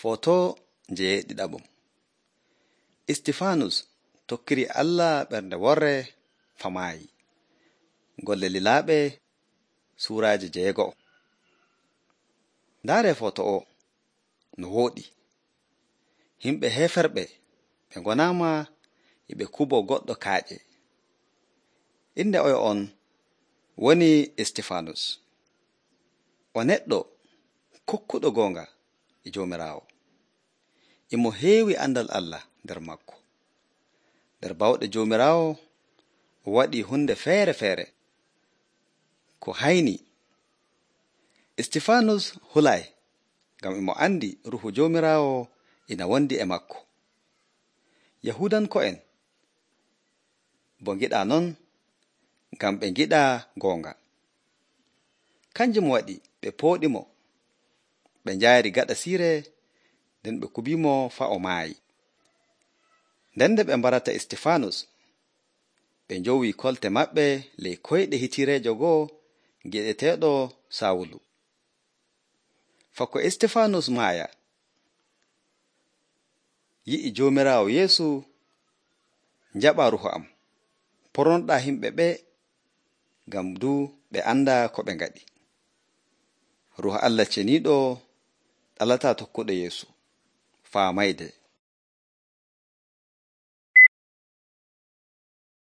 Foto jeeɗiɗaɓum. Istifanus tokkiri Allah ɓernde worre famaayi. Golle lilaaɓe suuraaji 6. Ndaare foto o no wooɗi. Himɓe heeferɓe ɓe ngonaama ɓe kubo goɗɗo kaaƴe. Inde oyo on woni Istifanus. O neɗɗo kokkuɗo goonga e Joomiraawo. Imo heewi andal Allah nder makko. Nder bawɗe Joomiraawo o waɗi hunde feere ko hayni. Istifanus hulay ngam imo andi ruuhu Joomiraawo ina wondi e makko. Yahudanko'en bo ngiɗa non ngam ɓe ngiɗa goonga. Kanjum waɗi ɓe pooɗimo, ɓe njaari gaɗa siire, nden ɓe kubimo faa o maayi. Nden nde ɓe mbarata Istifanus, ɓe njowi kolte maɓɓe ley koyɗe hitireejo go'o gi'eteeɗo Sawulu. Fako Istifanus maaya, yi'i Joomiraawo Yeesu, njaɓa ruuhu am, pornoɗaa himɓe ɓe ngam du ɓe anda ko ɓe ngaɗi. Ruuhu Allah ceniiɗo ɗalataa tokkuɗo Yeesu faa mayde.